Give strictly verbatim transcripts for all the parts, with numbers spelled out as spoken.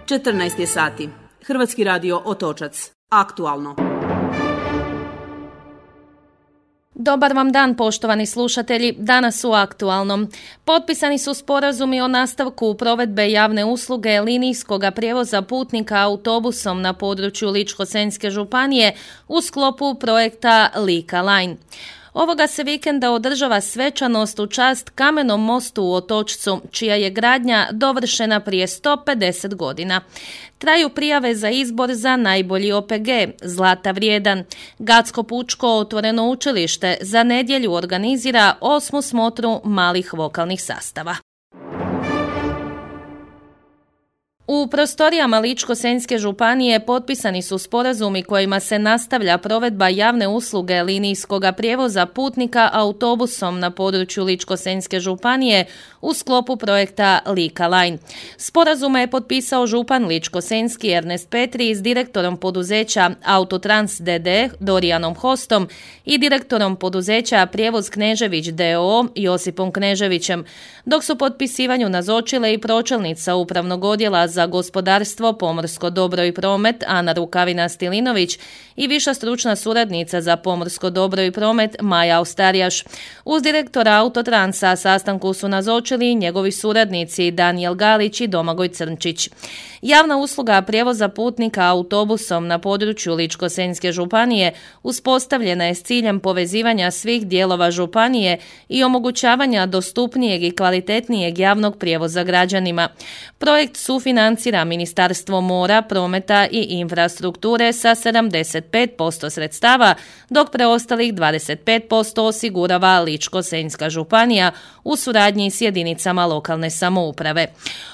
četrnaest je sati. Hrvatski radio Otočac. Aktualno. Dobar vam dan, poštovani slušatelji. Danas u Aktualnom. Potpisani su sporazumi o nastavku provedbe javne usluge linijskog prijevoza putnika autobusom na području Ličko-senjske županije u sklopu projekta Lika Line. Ovoga se vikenda održava svečanost u čast kamenom mostu u Otočcu, čija je gradnja dovršena prije sto pedeset godina. Traju prijave za izbor za najbolji O P G, Zlata vrijedan. Gatsko pučko otvoreno učilište za nedjelju organizira osmu smotru malih vokalnih sastava. U prostorijama Ličko-senjske županije potpisani su sporazumi kojima se nastavlja provedba javne usluge linijskog prijevoza putnika autobusom na području Ličko-senjske županije u sklopu projekta Lika Line. Sporazume je potpisao župan Ličko-senjski Ernest Petri s direktorom poduzeća Autotrans d d Dorijanom Hostom i direktorom poduzeća Prijevoz Knežević d o o Josipom Kneževićem, dok su potpisivanju nazočile i pročelnica upravnog odjela za gospodarstvo, pomorsko dobro i promet Ana Rukavina-Stilinović i viša stručna suradnica za pomorsko dobro i promet Maja Ostarijaš. Uz direktora Autotransa sastanku su nazočili i njegovi suradnici Danijel Galić i Domagoj Crnčić. Javna usluga prijevoza putnika autobusom na području Ličko-senjske županije uspostavljena je s ciljem povezivanja svih dijelova županije i omogućavanja dostupnijeg i kvalitetnijeg javnog prijevoza građanima. Projekt sufinancira Ministarstvo mora, prometa i infrastrukture sa sedamdeset pet posto sredstava, dok preostalih dvadeset pet posto osigurava Ličko-senjska županija u suradnji s jedinicama lokalne samouprave.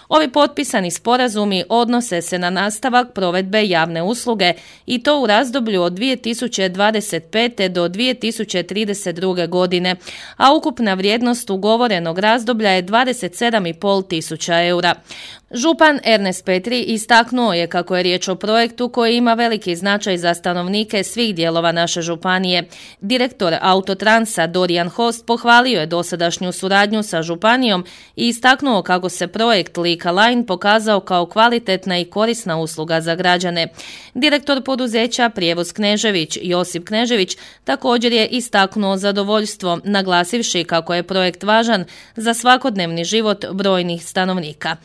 Ovi potpisani sporazumi odnose se na nastavak provedbe javne usluge i to u razdoblju od dvije tisuće dvadeset pete do dvije tisuće trideset druge godine, a ukupna vrijednost ugovorenog razdoblja je dvadeset sedam i pol tisuća eura. Župan Ernest Petri istaknuo je kako je riječ o projektu koji ima veliki značaj za stanovnike svih dijelova naše županije. Direktor Autotransa Dorijan Host pohvalio je dosadašnju suradnju sa županijom i istaknuo kako se projekt Lika Line pokazao kao kvalitetna i korisna usluga za građane. Direktor poduzeća Prijevoz Knežević Josip Knežević također je istaknuo zadovoljstvo, naglasivši kako je projekt važan za svakodnevni život brojnih stanovnika.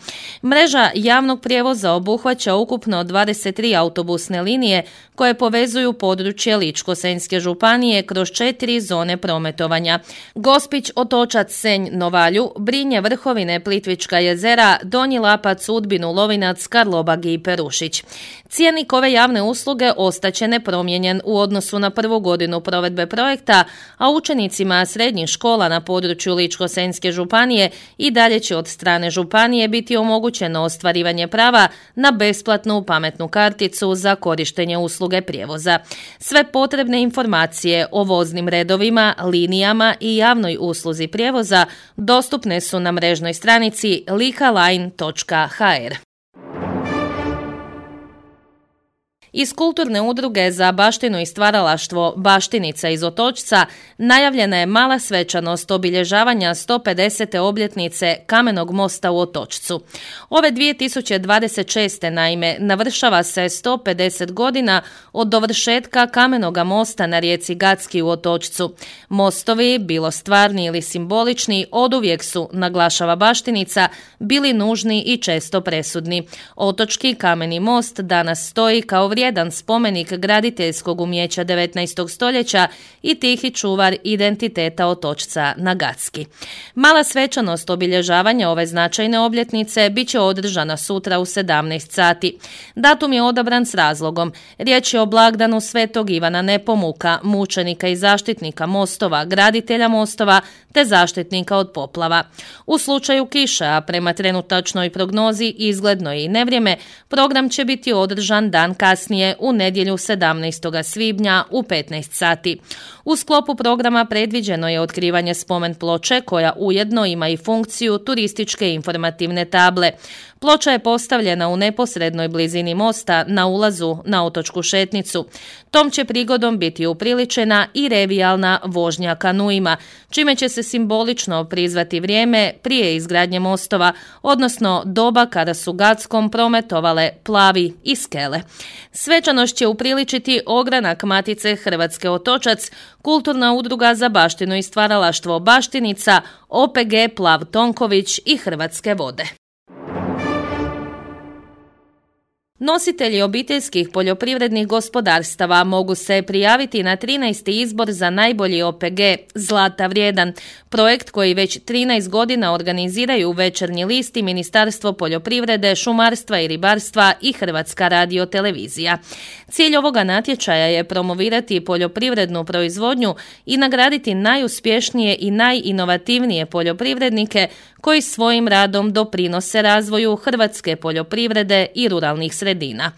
Mreža javnog prijevoza obuhvaća ukupno dvadeset tri autobusne linije koje povezuju područje Ličko-senjske županije kroz četiri zone prometovanja: Gospić, Otočac, Senj, Novalju, Brinje, Vrhovine, Plitvička jezera, Donji Lapac, Udbinu, Lovinac, Karlobag i Perušić. Cijenik ove javne usluge ostaće nepromijenjen u odnosu na prvu godinu provedbe projekta, a učenicima srednjih škola na području Ličko-senjske županije i dalje će od strane županije biti omogućeno ostvarivanje prava na besplatnu pametnu karticu za korištenje usluge prijevoza. Sve potrebne informacije o voznim redovima, linijama i javnoj usluzi prijevoza dostupne su na mrežnoj stranici likaline točka ha er. Iz kulturne udruge za baštinu i stvaralaštvo Baštinica iz Otočca najavljena je mala svečanost obilježavanja sto pedesete obljetnice Kamenog mosta u Otočcu. Ove dvije tisuće dvadeset šeste naime navršava se sto pedeset godina od dovršetka Kamenoga mosta na rijeci Gatski u Otočcu. Mostovi, bilo stvarni ili simbolični, oduvijek su, naglašava Baštinica, bili nužni i često presudni. Otočki kameni most danas stoji kao vrijedan jedan spomenik graditeljskog umijeća devetnaestog stoljeća i tihi čuvar identiteta Otočca na Gatski. Mala svečanost obilježavanja ove značajne obljetnice bit će održana sutra u sedamnaest sati. Datum je odabran s razlogom. Riječ je o blagdanu Svetog Ivana Nepomuka, mučenika i zaštitnika mostova, graditelja mostova te zaštitnika od poplava. U slučaju kiša, a prema trenutačnoj prognozi izgledno je i nevrijeme, program će biti održan dan kasnije u nedjelju sedamnaestog svibnja u petnaest sati. U sklopu programa predviđeno je otkrivanje spomen ploče koja ujedno ima i funkciju turističke informativne table. Ploča je postavljena u neposrednoj blizini mosta na ulazu na otočku Šetnicu. Tom će prigodom biti upriličena i revijalna vožnja kanuima, čime će se simbolično prizvati vrijeme prije izgradnje mostova, odnosno doba kada su Gackom prometovale plavi i skele. Svečanost će upriličiti ogranak Matice Hrvatske Otočac, kulturna udruga za baštinu i stvaralaštvo Baštinica, O P G Plav Tonković i Hrvatske vode. Nositelji obiteljskih poljoprivrednih gospodarstava mogu se prijaviti na trinaesti izbor za najbolji O P G Zlata vrijedan, projekt koji već trinaest godina organiziraju Večernji list i Ministarstvo poljoprivrede, šumarstva i ribarstva i Hrvatska radiotelevizija. Cilj ovoga natječaja je promovirati poljoprivrednu proizvodnju i nagraditi najuspješnije i najinovativnije poljoprivrednike koji svojim radom doprinose razvoju hrvatske poljoprivrede i ruralnih sredina.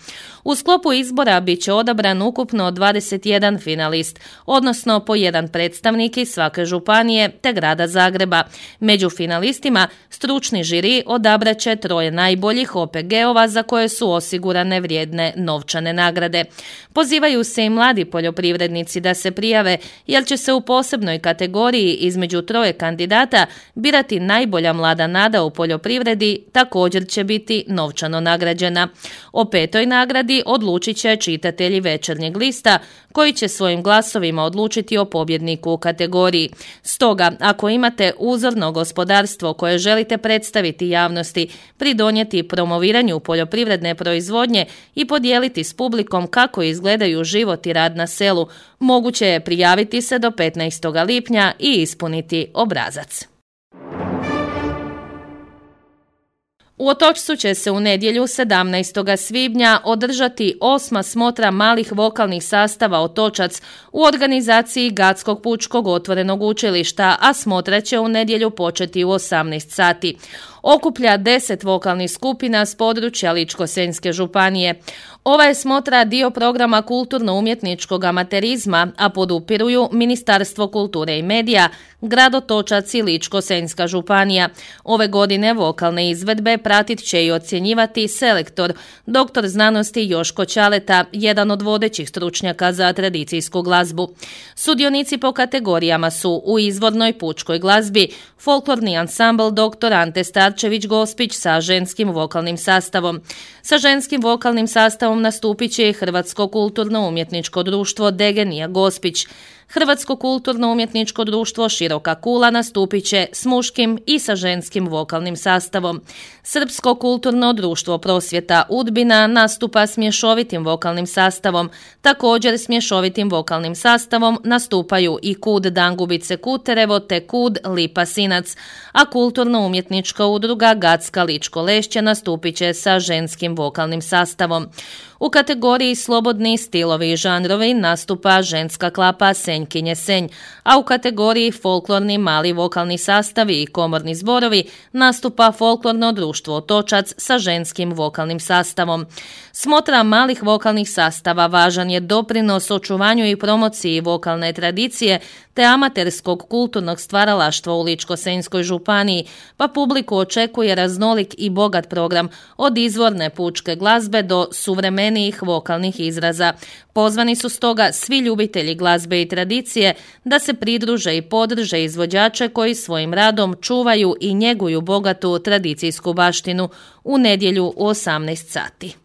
U sklopu izbora bit će odabran ukupno dvadeset jedan finalist, odnosno po jedan predstavnik iz svake županije te grada Zagreba. Među finalistima stručni žiri odabrat će troje najboljih O P G-ova za koje su osigurane vrijedne novčane nagrade. Pozivaju se i mladi poljoprivrednici da se prijave, jer će se u posebnoj kategoriji između troje kandidata birati najbolja mlada nada u poljoprivredi, također će biti novčano nagrađena. O petoj nagradi odlučit će čitatelji Večernjeg lista, koji će svojim glasovima odlučiti o pobjedniku u kategoriji. Stoga, ako imate uzorno gospodarstvo koje želite predstaviti javnosti, pridonijeti promoviranju poljoprivredne proizvodnje i podijeliti s publikom kako izgledaju život i rad na selu, moguće je prijaviti se do petnaestog lipnja i ispuniti obrazac. U Otočcu će se u nedjelju sedamnaestog svibnja održati osma smotra malih vokalnih sastava Otočac u organizaciji Gatskog pučkog otvorenog učilišta, a smotra će u nedjelju početi u osamnaest sati. Okuplja deset vokalnih skupina s područja Ličko-senjske županije. Ova je smotra dio programa kulturno-umjetničkog amaterizma, a podupiruju Ministarstvo kulture i medija, grad Otočac i Ličko-senjska županija. Ove godine vokalne izvedbe pratit će i ocjenjivati selektor, doktor znanosti Joško Ćaleta, jedan od vodećih stručnjaka za tradicijsku glazbu. Sudionici po kategorijama su u izvornoj pučkoj glazbi folklorni ansambl doktor Ante Starčević-Gospić sa ženskim vokalnim sastavom. Sa ženskim vokalnim sastavom nastupit će i Hrvatsko kulturno-umjetničko društvo Degenija Gospić. Hrvatsko kulturno-umjetničko društvo Široka kula nastupit će s muškim i sa ženskim vokalnim sastavom. Srpsko kulturno društvo Prosvjeta Udbina nastupa s mješovitim vokalnim sastavom. Također s mješovitim vokalnim sastavom nastupaju i Kud Dangubice Kuterevo te Kud Lipa Sinac, a kulturno-umjetnička udruga Gatska Ličko Lešće nastupit će sa ženskim vokalnim sastavom. U kategoriji Slobodni stilovi i žanrovi nastupa ženska klapa Senjkinje Senj, a u kategoriji Folklorni mali vokalni sastavi i komorni zborovi nastupa Folklorno društvo Otočac sa ženskim vokalnim sastavom. Smotra malih vokalnih sastava važan je doprinos očuvanju i promociji vokalne tradicije te amaterskog kulturnog stvaralaštva u Ličko-senjskoj županiji, pa publiku očekuje raznolik i bogat program od izvorne pučke glazbe do suvremenijih vokalnih izraza. Pozvani su stoga svi ljubitelji glazbe i tradicije da se pridruže i podrže izvođače koji svojim radom čuvaju i njeguju bogatu tradicijsku baštinu u nedjelju u osamnaest sati.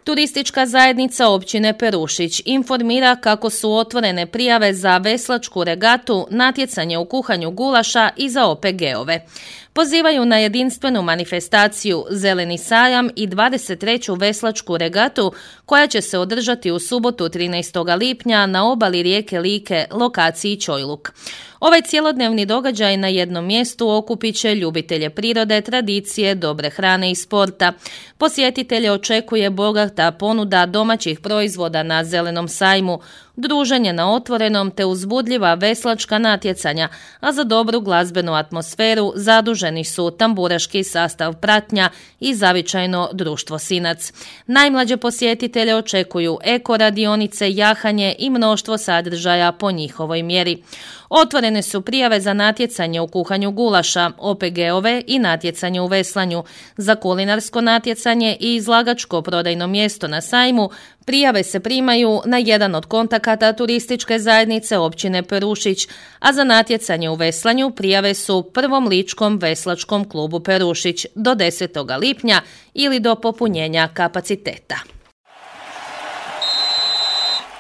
Turistička zajednica općine Perušić informira kako su otvorene prijave za veslačku regatu, natjecanje u kuhanju gulaša i za O P G-ove. Pozivaju na jedinstvenu manifestaciju Zeleni sajam i dvadeset treću veslačku regatu koja će se održati u subotu trinaestog lipnja na obali rijeke Like, lokaciji Čojluk. Ovaj cjelodnevni događaj na jednom mjestu okupit će ljubitelje prirode, tradicije, dobre hrane i sporta. Posjetitelje očekuje bogata ponuda domaćih proizvoda na Zelenom sajmu, druženje na otvorenom te uzbudljiva veslačka natjecanja, a za dobru glazbenu atmosferu zaduženi su tamburaški sastav Pratnja i zavičajno društvo Sinac. Najmlađe posjetitelje očekuju eko radionice, jahanje i mnoštvo sadržaja po njihovoj mjeri. Otvorene su prijave za natjecanje u kuhanju gulaša, O P G-ove i natjecanje u veslanju. Za kulinarsko natjecanje i izlagačko prodajno mjesto na sajmu prijave se primaju na jedan od kontakata turističke zajednice općine Perušić, a za natjecanje u veslanju prijave su Prvom ličkom veslačkom klubu Perušić do desetog lipnja ili do popunjenja kapaciteta.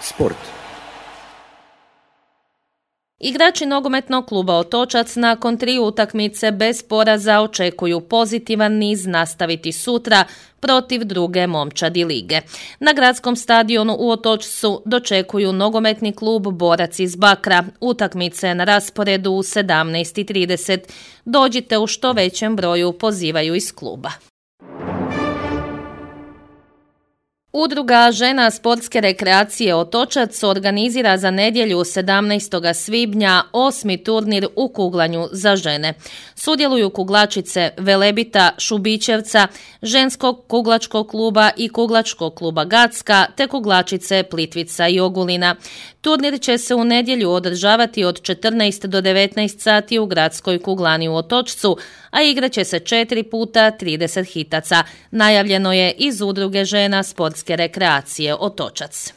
Sport. Igrači nogometnog kluba Otočac nakon tri utakmice bez poraza očekuju pozitivan niz nastaviti sutra protiv druge momčadi lige. Na gradskom stadionu u Otočcu dočekuju nogometni klub Borac iz Bakra. Utakmice na rasporedu u sedamnaest i trideset. Dođite u što većem broju, pozivaju iz kluba. Udruga žena sportske rekreacije Otočac organizira za nedjelju sedamnaestog svibnja osmi turnir u kuglanju za žene. Sudjeluju kuglačice Velebita, Šubićevca, ženskog kuglačkog kluba i kuglačkog kluba Gacka te kuglačice Plitvica i Ogulina. Turnir će se u nedjelju održavati od četrnaest do devetnaest sati u gradskoj kuglani u Otočcu, a igrat će se četiri puta trideset hitaca. Najavljeno je iz Udruge žena sportske rekreacije Otočac.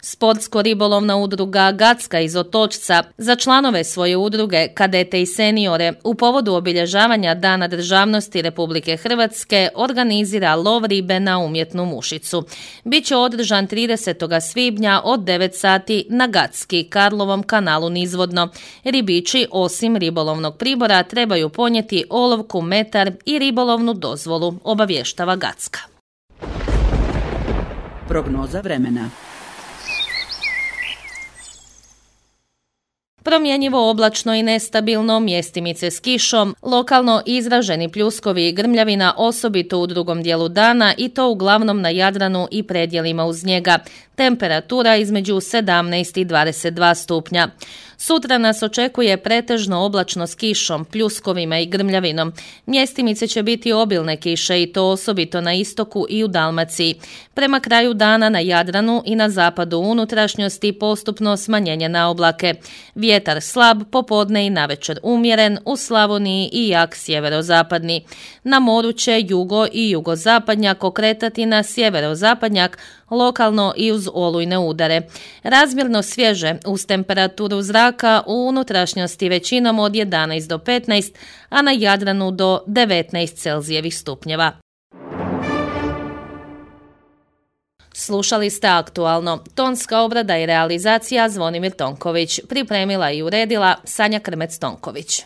Sportsko-ribolovna udruga Gacka iz Otočca za članove svoje udruge, kadete i seniore u povodu obilježavanja Dana državnosti Republike Hrvatske organizira lov ribe na umjetnu mušicu. Biće održan tridesetog svibnja od devet sati na Gacki, Karlovom kanalu nizvodno. Ribiči osim ribolovnog pribora trebaju ponijeti olovku, metar i ribolovnu dozvolu, obavještava Gacka. Prognoza vremena. Promjenjivo oblačno i nestabilno, mjestimice s kišom, lokalno izraženi pljuskovi i grmljavina osobito u drugom dijelu dana i to uglavnom na Jadranu i predjelima uz njega. Temperatura između sedamnaest i dvadeset dva stupnja. Sutra nas očekuje pretežno oblačno s kišom, pljuskovima i grmljavinom. Mjestimice će biti obilne kiše i to osobito na istoku i u Dalmaciji. Prema kraju dana na Jadranu i na zapadu unutrašnjosti postupno smanjenje na oblake. Vjetar slab, popodne i navečer umjeren, u Slavoniji i jak sjeverozapadni. Na moru će jugo i jugozapadnjak okretati na sjeverozapadnjak, lokalno i uz olujne udare. Razmjerno svježe uz temperaturu zraka u unutrašnjosti većinom od jedanaest do petnaest, a na Jadranu do devetnaest Celzijevih stupnjeva. Slušali ste Aktualno. Tonska obrada i realizacija Zvonimir Tonković. Pripremila i uredila Sanja Krmec-Tonković.